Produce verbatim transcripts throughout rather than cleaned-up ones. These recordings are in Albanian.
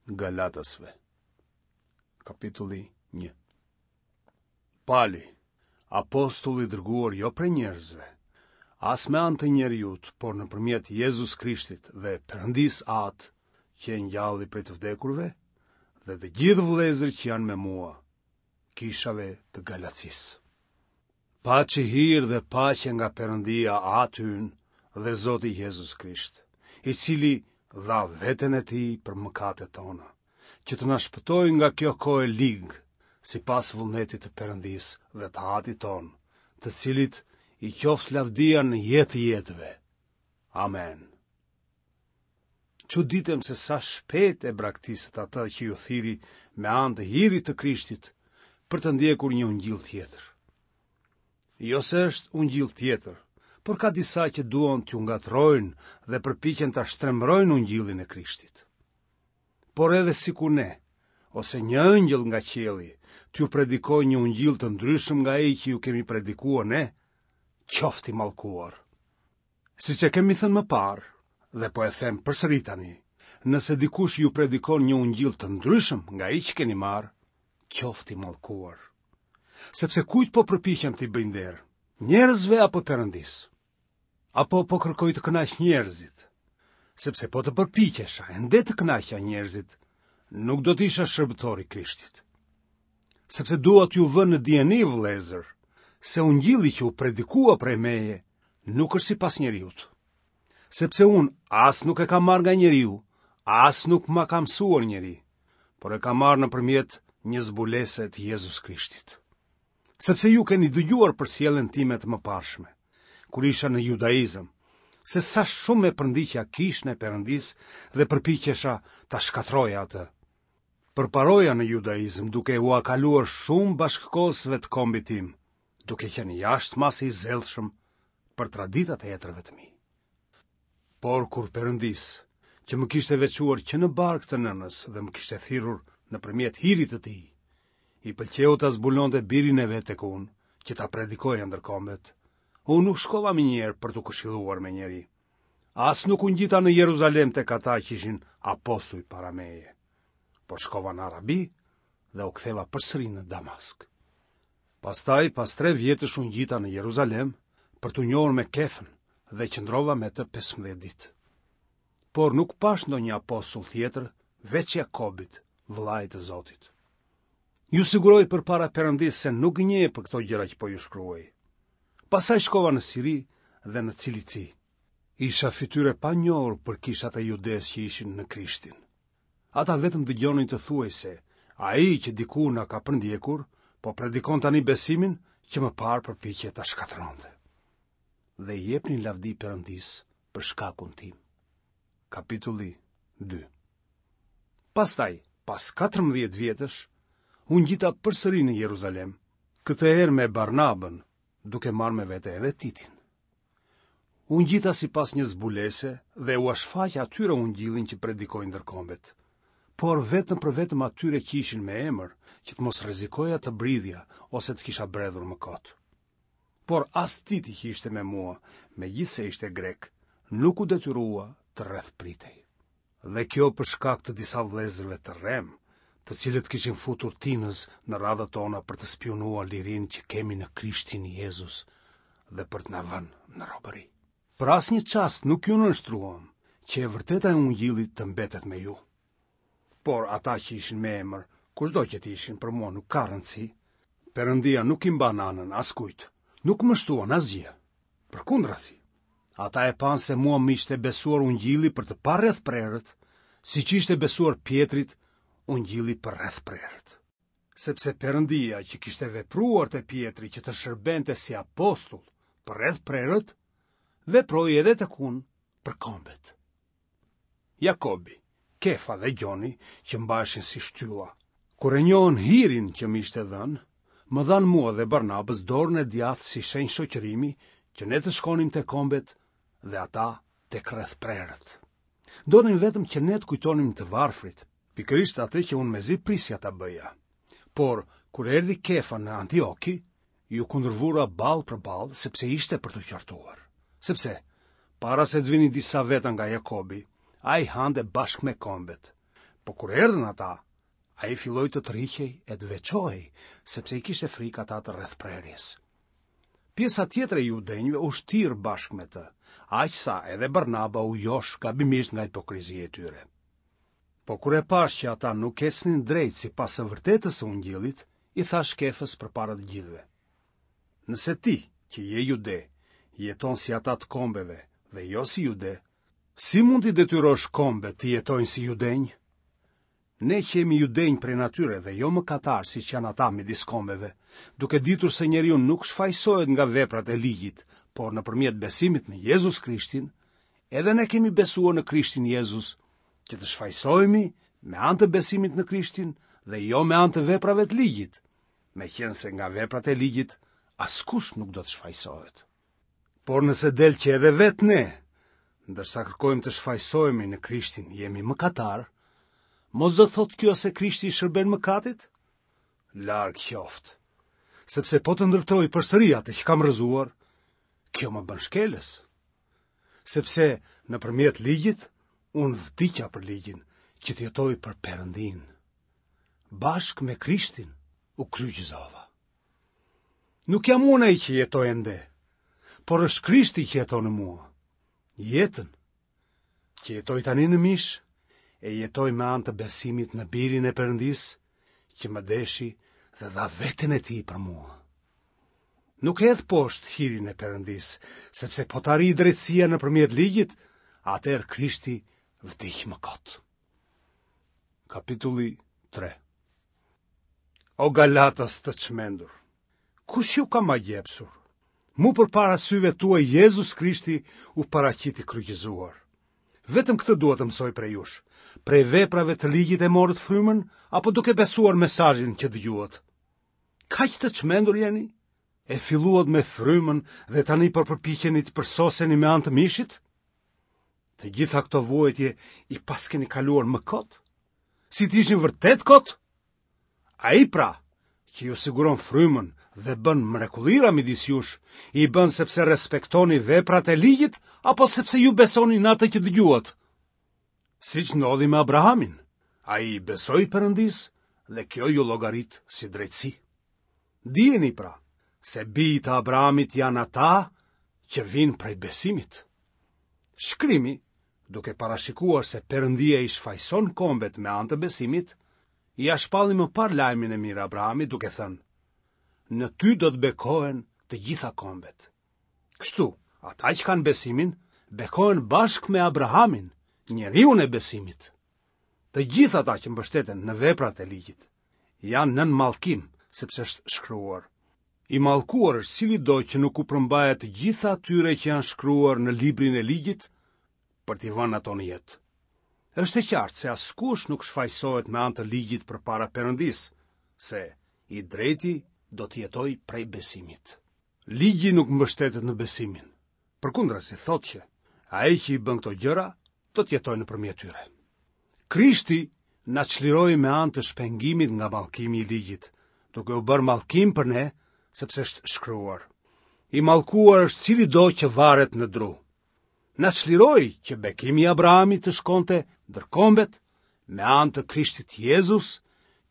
Galatasve. Kapitulli një. Pali, apostull i dërguar jo prej njerëzve, as me anë të njeriut, por nëpërmjet Jezus Krishtit dhe Perëndisë Atë, që e ngjalli prej të vdekurve, dhe të gjithë vëllezërit që janë me mua, kishave të Galacisë. Paçi hir dhe paqe nga Perëndia Ati ynë dhe Zoti Jezus Krisht, i cili dha veten e tij për mëkatet tona, që të na shpëtojë nga kjo kohë e ligë, sipas vullnetit të Perëndisë dhe të Atit tonë, të cilit i qoftë lavdia në jetë të jetëve. Amen. Çuditem se sa shpejt e braktisët atë që ju thirri me anë të hirit të Krishtit për të ndjekur një ungjill tjetër. Jo se është ungjill tjetër, por ka disa që duan t'ju ngatërrojnë dhe përpiqen ta shtrembërojnë ungjillin e Krishtit. Por edhe sikur ne, ose një ëngjëll nga qielli, t'ju predikojë një ungjill të ndryshëm nga ai që ju kemi predikuar ne, qoftë i mallkuar. Siç e kemi thënë më parë, dhe po e them përsëri tani, nëse dikush ju predikon një ungjill të ndryshëm nga ai që keni marrë, qoftë i mallkuar. Sepse kujt po përpiqem t'i bëj nder? Njerëzve apo Perëndisë? Apo po kërkoj të kënaq njerëzit? Sepse po të përpiqesha ende të kënaqja njerëzit, nuk do të isha shërbëtor i Krishtit. Sepse dua t'ju vë në dijeni, vëllezër, se ungjilli që u predikua prej meje nuk është sipas njeriut. Sepse unë as nuk e kam marrë nga njeriu, as nuk ma ka mësuar njeri, por e kam marrë nëpërmjet një zbulese të Jezus Krishtit. Sepse ju keni dëgjuar për sjelljen time të mëparshme, kur isha në judaizëm, se sa shumë e përndiqja kishën e Perëndisë dhe përpiqesha ta shkatërroja atë. Përparoja në judaizëm duke ua kaluar shumë bashkëkohësve të kombit tim, duke qenë jashtë mase i zellshëm për traditat e etërve të mi. Por kur Perëndisë, që më kishte veçuar që në bark të nënës dhe më kishte thirrur nëpërmjet hirit të tij, i pëlqeu ta zbulonte birin e vet tek unë, që ta predikoja ndër kombet, unë nuk shkova menjëherë për t'u këshilluar me njeri. As nuk u ngjita në Jeruzalem tek ata që ishin apostuj para meje, por shkova në Arabi dhe u ktheva përsëri në Damask. Pastaj, pas tre vjetësh u ngjita në Jeruzalem për t'u njohur me Kefën dhe qëndrova me të pesëmbëdhjetë ditë. Por nuk pashë ndonjë apostull tjetër veç Jakobit, vëllait të Zotit. Ju siguroj përpara Perëndisë se nuk gënjej për këto gjëra që po ju shkruaj. Pastaj shkova në Siri dhe në Cilici. Isha fytyrë e panjohur për kishat e Judesë që ishin në Krishtin. Ata vetëm dëgjonin të thuhej se ai që dikur na ka përndjekur, po predikon tani besimin që më parë përpiqej ta shkatërronte. Dhe i jepnin lavdi Perëndisë për shkakun tim. Kapitulli dy. Pastaj, pas katërmbëdhjetë vjetësh, u ngjita përsëri në Jeruzalem, këtë herë me Barnabën, duke marrë me vete edhe Titin. U ngjita sipas një zbulese dhe ua shfaqa atyre ungjillin që predikoj ndër kombet, por vetëm për vetëm atyre që ishin me emër, që të mos rrezikoja të bridhja ose të kisha bredhur më kot. Por as Titi që ishte me mua, megjithëse ishte grek, nuk u detyrua të rrethpritej. Dhe kjo për shkak të disa vëllezërve të rremë, të cilët kishin futur tinëz në radhët tona për të spiunuar lirinë që kemi në Krishtin Jezus dhe për të na vënë në robëri. Për asnjë çast nuk iu nënshtruam, që e vërteta e ungjillit të mbetet me ju. Por ata që ishin me emër, kushdo që të ishin, për mua nuk ka rëndësi, Perëndia nuk i mban anën askujt, nuk më shtuan asgjë. Përkundrazi, ata e panë se mua më ishte besuar ungjilli për të parrethprerët, siç ishte besuar Pjetrit ungjilli për rrethprerët. Sepse Perëndia që kishte vepruar te Pjetri që të shërbente si apostull për rrethprerët, veproi edhe tek unë për kombet. Jakobi, Kefa dhe Gjoni, që mbaheshin si shtylla, kur e njohën hirin që më ishte dhënë, më dhanë mua dhe Barnabës dorën e djathtë si shenjë shoqërimi që ne të shkonim te kombet dhe ata tek rrethprerët. Donin vetëm që ne të kujtonim të varfrit, pikërisht atë që unë mezi prisja ta bëja. Por, kur erdhi Kefa në Antioki, iu kundërvura ballë për ballë, sepse ishte për t'u qortuar. Sepse, para se të vinin disa veta nga Jakobi, ai hante bashkë me kombet. Po kur erdhën ata, ai filloi të tërhiqej e të veçohej, sepse i kishte frikë ata të rrethprerjes. Pjesa tjetër e judenjve u shtir bashkë me të, aq sa edhe Barnaba u josh gabimisht nga hipokrizia e tyre. Po kur e pashë që ata nuk ecnin drejt sipas së vërtetës së Ungjillit, i thashë Kefës përpara të gjithëve: Nëse ti, që je jude, jeton si ata të kombeve dhe jo si jude, si mund t'i detyrosh kombet të jetojnë si judenj? Ne që jemi judenj prej natyre dhe jo mëkatarë siç janë ata midis kombeve, duke ditur se njeriu nuk shfajësohet nga veprat e ligjit, por nëpërmjet besimit në Jezus Krishtin, edhe ne kemi besuar në Krishtin Jezus, që të shfajësohemi me anë të besimit në Krishtin dhe jo me anë të veprave të ligjit, meqenëse nga veprat e ligjit askush nuk do të shfajësohet. Por nëse del që edhe vetë ne, ndërsa kërkojmë të shfajësohemi në Krishtin, jemi mëkatarë, mos do të thotë kjo se Krishti i shërben mëkatit? Larg qoftë, sepse po të ndërtoj përsëri atë që kam rrëzuar, kjo më bën shkelës. Sepse nëpërmjet ligjit, unë vdiqa për ligjin, që të jetoj për Perëndinë. Bashkë me Krishtin u kryqëzova. Nuk jam unë ai që jetoj ende, por është Krishti që jeton në mua. Jetën që jetoj tani në mish, e jetoj me anë të besimit në Birin e Perëndisë, që më deshi dhe dha veten e tij për mua. Nuk e hedh poshtë hirin e Perëndisë, sepse po të arrijë drejtësia nëpërmjet ligjit, atëherë Krishti vdiq më kot. Kapitulli tre. O Galatas të çmendur, kush ju ka magjepsur? Mu përpara syve tuaj Jezus Krishti u paraqit i kryqëzuar. Vetëm këtë dua të mësoj prej jush. Prej veprave të ligjit e morët frymën apo duke besuar mesazhin që dëgjuat? Kaq të çmendur jeni? E filluat me frymën dhe tani po përpiqeni të përsoseni me anë të mishit? Të gjitha këto vuajtje i paskeni kaluar më kot? Si të ishin vërtet kot? Ai pra, që ju siguron frymën dhe bën mrekullira midis jush, i bën sepse respektoni veprat e ligjit apo sepse ju besoni në atë që dëgjuat? Siç ndodhi me Abrahamin, ai i besoi Perëndisë dhe kjo iu llogarit si drejtësi. Dijeni pra, se bijtë e Abrahamit janë ata që vijnë prej besimit. Shkrimi, duke parashikuar se Perëndia i shfajëson kombet me anë të besimit, ia shpalli më parë lajmin e mirë Abrahamit duke thënë: Në ty do të bekohen të gjitha kombet. Kështu, ata që kanë besimin, bekohen bashkë me Abrahamin, njeriun e besimit. Të gjithë ata që mbështeten në veprat e ligjit, janë nën mallkim, sepse është shkruar: I mallkuar është cilido që nuk u përmbahet të gjitha atyre që janë shkruar në librin e ligjit për t'i vënë ato në jetë. Është e qartë se askush nuk shfajësohet me anë të ligjit përpara Perëndisë, se i drejti do të jetojë prej besimit. Ligji nuk mbështetet në besimin. Përkundrazi thotë që ai që i bën këto gjëra do të jetojë nëpërmjet tyre. Krishti na çliroi me anë të shpengimit nga mallkimi i ligjit, duke u bërë mallkim për ne, sepse është shkruar: I mallkuar është cilido që varet në dru. Na çliroi që bekimi i Abrahamit të shkonte ndër kombet me anë të Krishtit Jezus,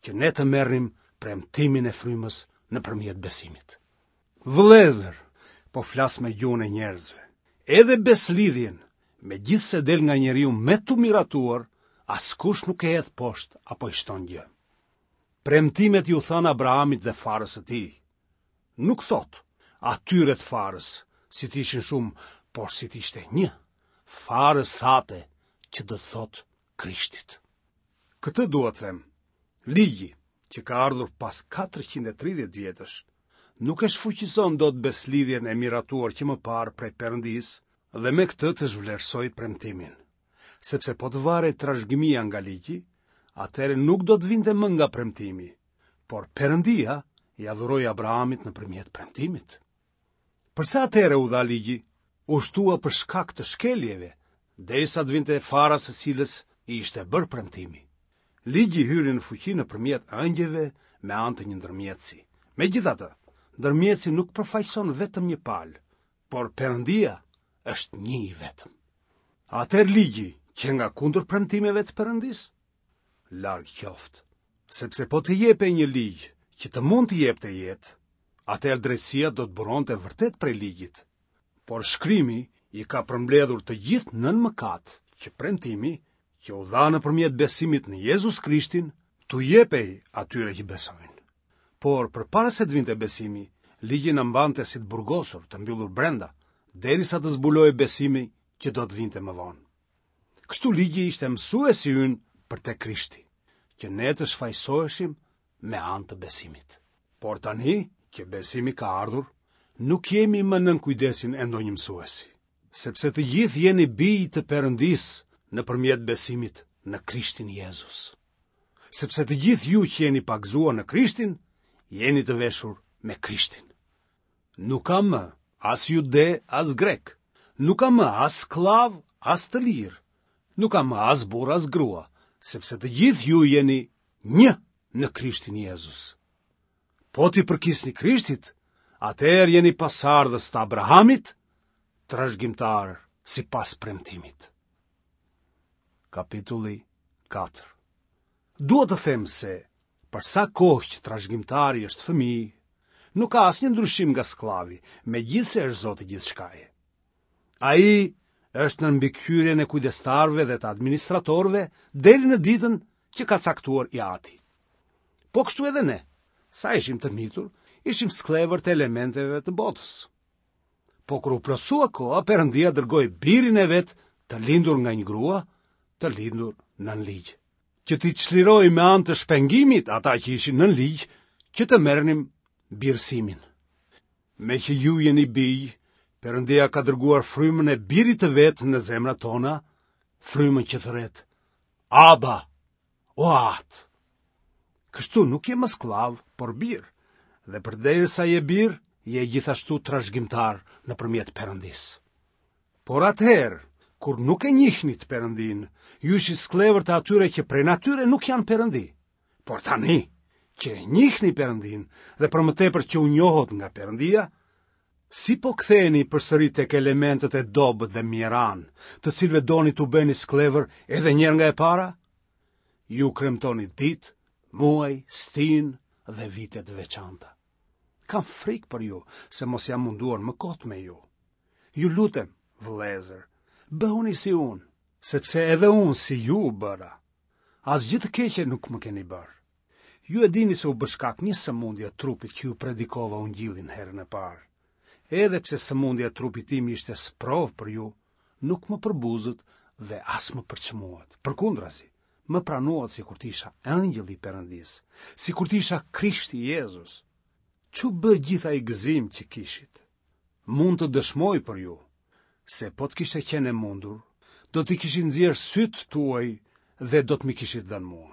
që ne të merrnim premtimin e frymës nëpërmjet besimit. Vëllezër, po flas me gjuhën e njerëzve. Edhe beslidhjen, megjithëse del nga njeriu me t'u miratuar, askush nuk e hedh poshtë apo i shton gjë. Premtimet iu thanë Abrahamit dhe farës së tij. Nuk thotë atyre të farës, si të ishin shumë, por si të ishte një, farës sate, që do të thotë Krishtit. Këtë dua të them, ligji, që ka ardhur pas katërqind e tridhjetë vjetësh, nuk e shfuqizon dot beslidhjen e miratuar që më parë prej Perëndisë dhe me këtë të zhvlerësojë premtimin. Sepse po të varej trashëgimia nga ligji, atëherë nuk do të vinte më nga premtimi, por Perëndia ia dhuroi Abrahamit nëpërmjet premtimit. Përse atëherë u dha ligji? U shtua për shkak të shkeljeve, derisa të vinte fara së cilës i ishte bërë premtimi. Ligji hyri në fuqi nëpërmjet ëngjëjve me anë të një ndërmjetësi. Megjithatë, ndërmjetësi nuk përfaqëson vetëm një palë, por Perëndia është një i vetëm. Atëherë ligji që nga kundër premtimeve të Perëndisë? Larg qoftë. Sepse po të jepej një ligj që të mund të jepte jetë, atëherë drejtësia do të buronte vërtet prej ligjit. Por shkrimi i ka përmbledhur të gjithë nën mëkat, që premtimi, që u dha nëpërmjet besimit në Jezus Krishtin, t'u jepej atyre që besojnë. Por përpara se të vinte besimi, ligji na mbante si të burgosur, të mbyllur brenda, derisa të zbulohej besimi që do të vinte më vonë. Kështu ligji ishte mësuesi ynë për te Krishti, që ne të shfajësoheshim me anë të besimit. Por tani që besimi ka ardhur, nuk jemi më nën kujdesin e ndonjë mësuesi, sepse të gjithë jeni bij të Perëndisë nëpërmjet besimit në Krishtin Jezus. Sepse të gjithë ju që jeni pagëzuar në Krishtin, jeni të veshur me Krishtin. Nuk ka më as jude, as grek, nuk ka më as skllav, as të lirë, nuk ka më as burrë, as grua, sepse të gjithë ju jeni një në Krishtin Jezus. Po t'i përkisni Krishtit, atëherë jeni pasardhës të Abrahamit, trashëgimtar sipas premtimit. Kapitulli katër. Dua të them se, për sa kohë që trashëgimtari është fëmijë, nuk ka asnjë ndryshim nga skllavi, megjithëse është zoti gjithçkaje. Ai është nën mbikëqyrjen e kujdestarëve dhe të administratorëve deri në ditën që ka caktuar i ati. Po kështu edhe ne, sa ishim të mitur, ishim skllevër të elementeve të botës. Po kur u plotësua koha, Perëndia dërgoi birin e vet të lindur nga një grua, të lindur nën ligj, që t'i çlirojë me anë të shpengimit ata që ishin nën ligj, që të merrnim birësimin. Me që ju jeni bij, Perëndia ka dërguar frymën e birit të vet në zemrat tona, frymën që thërret, Aba, o Atë. Kështu nuk je më skllav, por bir, dhe përderisa je bir, je gjithashtu trashëgimtar nëpërmjet Perëndisë. Por atëherë, kur nuk e njihnit Perëndinë, ju ishit skllevër të atyre që prej natyre nuk janë Perëndi. Por tani, që e njihni Perëndinë dhe për më tepër që u njohët nga Perëndia, si po ktheheni përsëri tek elementët e dobët dhe mjeran, të cilëve doni t'u bëni skllevër edhe një herë nga e para? Ju kremtoni ditë, muaj, stinë dhe vite të veçanta. Kam frikë për ju, se mos jam munduar më kot me ju. Ju lutem, vëllezër, bëhuni si unë, sepse edhe unë si ju u bëra. Asgjë të keqe nuk më keni bërë. Ju e dini se u bë shkak një sëmundje e trupit që ju predikova ungjillin herën e parë. Edhe pse sëmundja e trupit tim ishte sprovë për ju, nuk më përbuzët dhe as më përçmuat. Përkundrazi, më pranuat sikur të isha engjëlli i Perëndisë, sikur të isha Krishti Jezus. Ç'u bë gjithë ai gëzim që kishit? Mund të dëshmoj për ju se po të kishte qenë e mundur, do t'i kishit nxjerrë sytë tuaj dhe do të m'i kishit dhënë mua.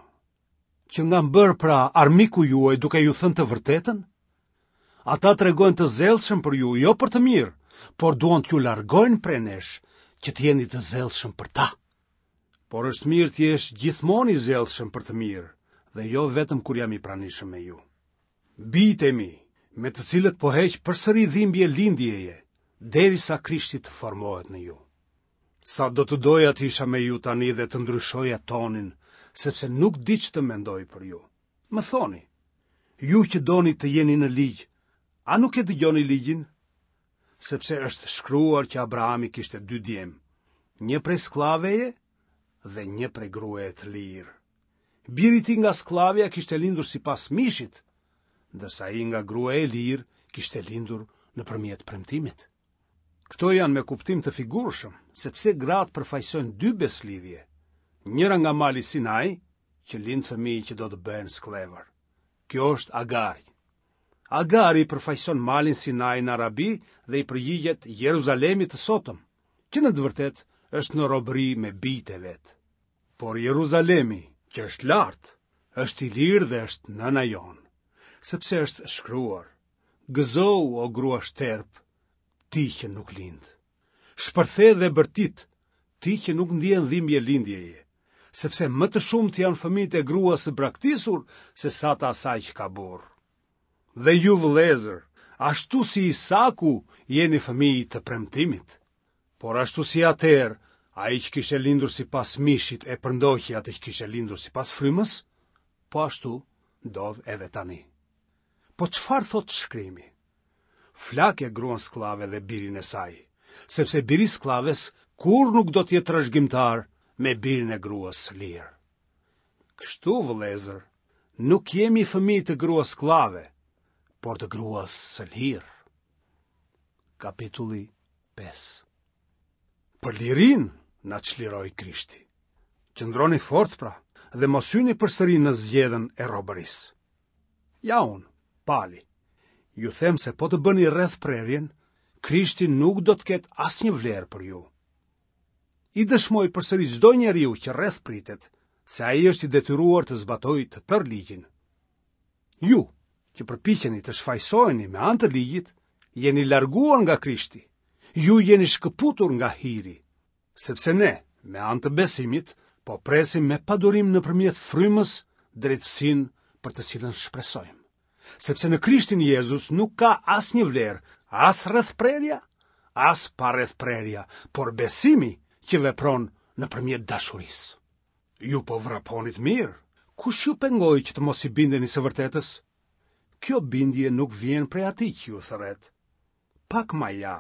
Që nga më bërë pra armiku juaj duke ju thënë të vërtetën? Ata tregojnë të zellshëm për ju, jo për të mirë, por duan t'ju largojnë prej nesh, që të jeni të zellshëm për ta. Por është mirë të jesh gjithmonë i zellshëm për të mirë, dhe jo vetëm kur jam i pranishëm me ju. Bijtë e mi, me të cilët po heq përsëri dhimbje lindjeje, derisa Krishti të formohet në ju. Sa do të doja të isha me ju tani dhe të ndryshoja tonin, sepse nuk di ç'të mendoj për ju. Më thoni, ju që doni të jeni në ligj, a nuk e dëgjoni ligjin? Sepse është shkruar që Abrahami kishte dy djem, një prej skllaveje dhe një prej gruaje të lirë. Biri i tij nga skllavja kishte lindur sipas mishit, ndërsa ai nga gruaja e lirë kishte lindur nëpërmjet premtimit. Këto janë me kuptim të figurshëm, sepse gratë përfaqësojnë dy beslidhje, njëra nga mali Sinai, që lind fëmijë që do të bëhen skllevër. Kjo është Agari. Agari përfaqëson malin Sinai në Arabi dhe i përgjigjet Jeruzalemit të sotëm, që në të vërtetë është në robëri me bijtë e vet. Por Jeruzalemi, që është lart, është i lirë dhe është nëna jonë, sepse është shkruar: Gëzohu, o grua shterp, ti që nuk lind. Shpërthe dhe bërtit, ti që nuk ndjen dhimbje lindjeje, sepse më të shumtë janë fëmijët e gruas së braktisur se sa të asaj që ka burrë. Dhe ju vëllezër, ashtu si Isaku, jeni fëmijë të premtimit. Por ashtu si atëherë, ai që kishte lindur sipas mishit e përndoqi atë që kishte lindur sipas frymës, po ashtu ndodh edhe tani. Po çfarë thotë shkrimi? Flake gruan skllave dhe birin e saj, sepse biri i skllaves kurrë nuk do të jetë trashëgimtar me birin e gruas së lirë. Kështu, vëllezër, nuk jemi fëmijë të gruas skllave, por të gruas së lirë. Kapitulli pesë. Për lirinë na çliroi Krishti. Qëndroni fort pra dhe mos hyni përsëri në zgjedhën e robërisë. Ja unë, Pali, ju them se po të bëni rrethprerjen, Krishti nuk do të ketë asnjë vlerë për ju. I dëshmoj përsëri çdo njeriu që rrethpritet, se ai është i detyruar të zbatojë të tërë ligjin. Ju, që përpiqeni të shfajësoheni me anë të ligjit, jeni larguar nga Krishti. Ju jeni shkëputur nga hiri, sepse ne, me anë të besimit, po presim me padurim nëpërmjet frymës drejtësinë për të cilën shpresojmë. Sepse në Krishtin Jezus nuk ka asnjë vlerë, as rrethprerja, as parrethprerja, por besimi që vepron nëpërmjet dashurisë. Ju po vraponit mirë, kush ju pengoi që të mos i bindeni së vërtetës? Kjo bindje nuk vjen prej atij që ju thërret. Pak maja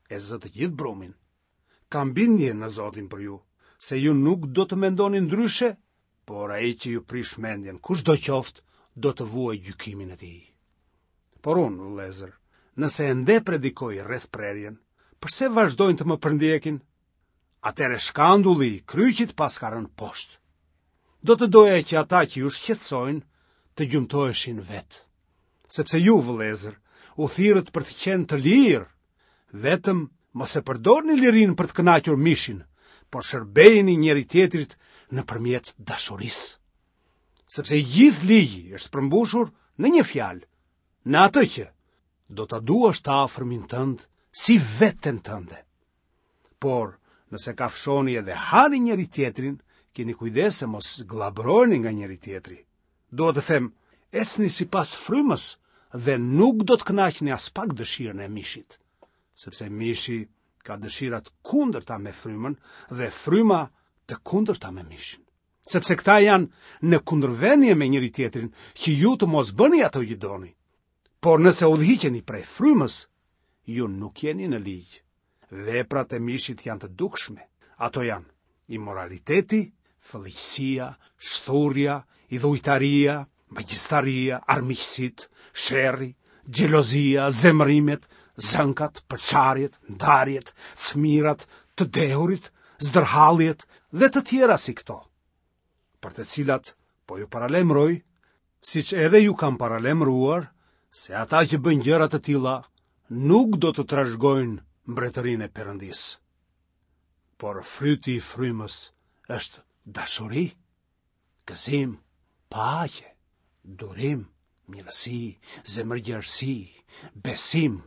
e zë të gjithë brumin. Kam bindje në Zotin për ju, se ju nuk do të mendoni ndryshe, por ai që ju prish mendjen, kushdo qoftë, do të vuajë gjykimin e tij. Por unë, vëllezër, nëse ende predikoj rrethprerjen, përse vazhdojnë të më përndjekin? Atëherë shkandulli i kryqit paska rënë poshtë. Do të doja që ata që ju shqetësojnë të gjymtoheshin vetë. Sepse ju, vëllezër, u thirrët për të qenë të lirë, vetëm mos e përdorni lirinë për të kënaqur mishin, por shërbejini njëri tjetrit nëpërmjet dashurisë. Sepse i gjithë ligji është përmbushur në një fjalë, në atë që do ta duash të afërmin tënd si veten tënde. Por, nëse kafshoni edhe hani njëri tjetrin, keni kujdes se mos gllabëroheni nga njëri tjetri. Dua të them, ecni sipas frymës dhe nuk do të kënaqni aspak dëshirën e mishit, sepse mishi ka dëshira të kundërta me frymën dhe fryma të kundërta me mishin. Sepse këta janë në kundërvënie me njëri tjetrin, që ju të mos bëni ato që doni. Por nëse udhëhiqeni prej frymës, ju nuk jeni në ligj. Veprat e mishit janë të dukshme. Ato janë imoraliteti, fëlliqësia, shthurja, idhujtaria, magjistaria, armiqësitë, sherri, xhelozia, zemërimet, zënkat, përçarjet, ndarjet, cmirat, të dehurit, zdërhalljet dhe të tjera si këto, për të cilat po ju paralajmëroj, siç edhe ju kam paralajmëruar, se ata që bëjnë gjëra të tilla nuk do të trashëgojnë mbretërinë e Perëndisë. Por fryti i frymës është dashuri, gëzim, paqe, durim, mirësi, zemërgjerësi, besim,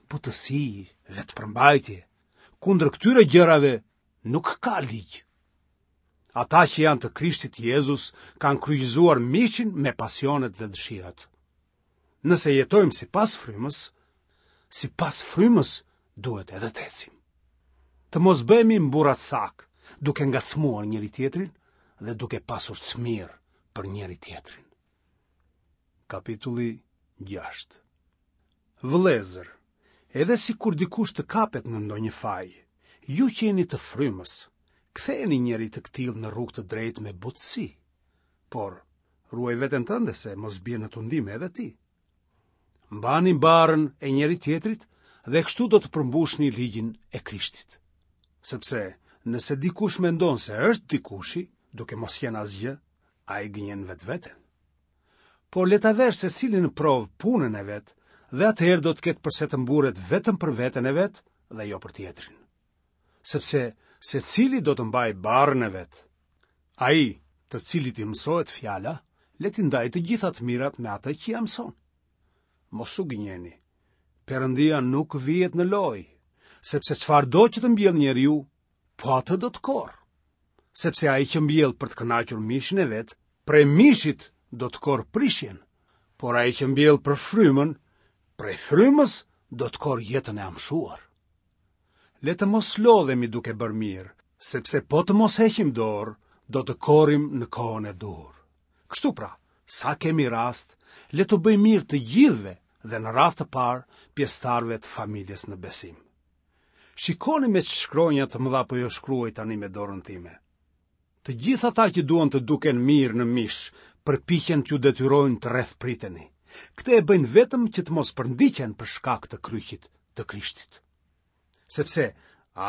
butësi, vetëpërmbajtje. Kundër këtyre gjërave nuk ka ligj. Ata që janë të Krishtit Jezus kanë kryqëzuar mishin me pasionet dhe dëshirat. Nëse jetojmë sipas frymës, sipas frymës duhet edhe të ecim. Të mos bëhemi mburracak, duke ngacmuar njëri tjetrin dhe duke pasur cmirë për njëri tjetrin. Kapitulli gjashtë. Vëllezër, edhe sikur dikush të kapet në ndonjë faj, ju që jeni të frymës, ktheheni njeri të këtillë në rrugë të drejtë me butësi. Por, ruaj veten tënde se mos bie në tundim edhe ti. Mbani barrën e njëri tjetrit dhe kështu do të përmbushni ligjin e Krishtit. Sepse, nëse dikush mendon se është dikushi, duke mos qenë asgjë, ai gënjen vetveten. Por le ta verë secili në provë punën e vet, dhe atëherë do të ketë përse të mburret vetëm për veten e vet dhe jo për tjetrin. Sepse secili do të mbajë barrën e vet. Ai, të cilit i mësohet fjala, le t'i ndajë të gjitha të mirat me atë që ia mëson. Mos u gënjeni. Perëndia nuk vihet në lojë, sepse çfarëdo që të mbjell njeriu, po atë do të korrë. Sepse ai që mbjell për të kënaqur mishin e vet, prej mishit do të korrë prishjen, por ai që mbjell për frymën, prej frymës do të korrë jetën e amshuar. Le të mos lodhemi duke bërë mirë, Sepse po të mos heqim dorë, do të korrim në kohën e duhur. Kështu pra, sa kemi rast, le t'u bëjmë mirë të gjithëve dhe në radhë të parë pjesëtarëve të familjes në besim. Shikoni me ç'shkronja të mëdha po ju shkruaj tani me dorën time. Të gjithë ata që duan të duken mirë në mish, përpiqen t'ju detyrojnë të rrethpriteni. Këtë e bëjnë vetëm që të mos përndiqen për shkak të kryqit të Krishtit. Sepse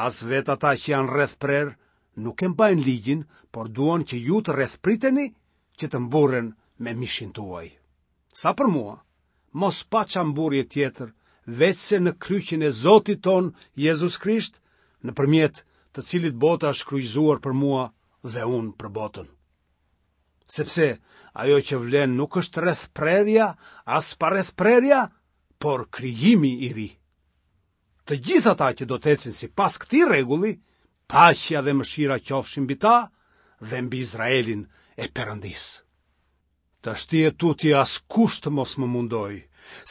as vetë ata që janë rrethprerë nuk e mbajnë ligjin, por duan që ju të rrethpriteni që të mburren me mishin tuaj. Sa për mua, mos paça mburrje tjetër, veçse në kryqin e Zotit tonë Jezus Krisht, nëpërmjet të cilit bota është kryqëzuar për mua dhe unë për botën. Sepse ajo që vlen nuk është rrethprerja, as parrethprerja, por krijimi i ri. Të gjithë ata që do të ecin sipas këtij rregulli, paqja dhe mëshira qofshin mbi ta dhe mbi Izraelin e Perëndisë. Tashti e tutje askush të mos më mundojë,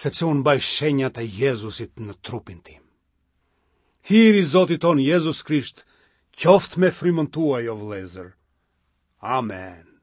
sepse unë mbaj shenjat e Jezusit në trupin tim. Hiri i Zotit tonë Jezus Krisht, qoftë me frymën tuaj, o vëllezër. Amen.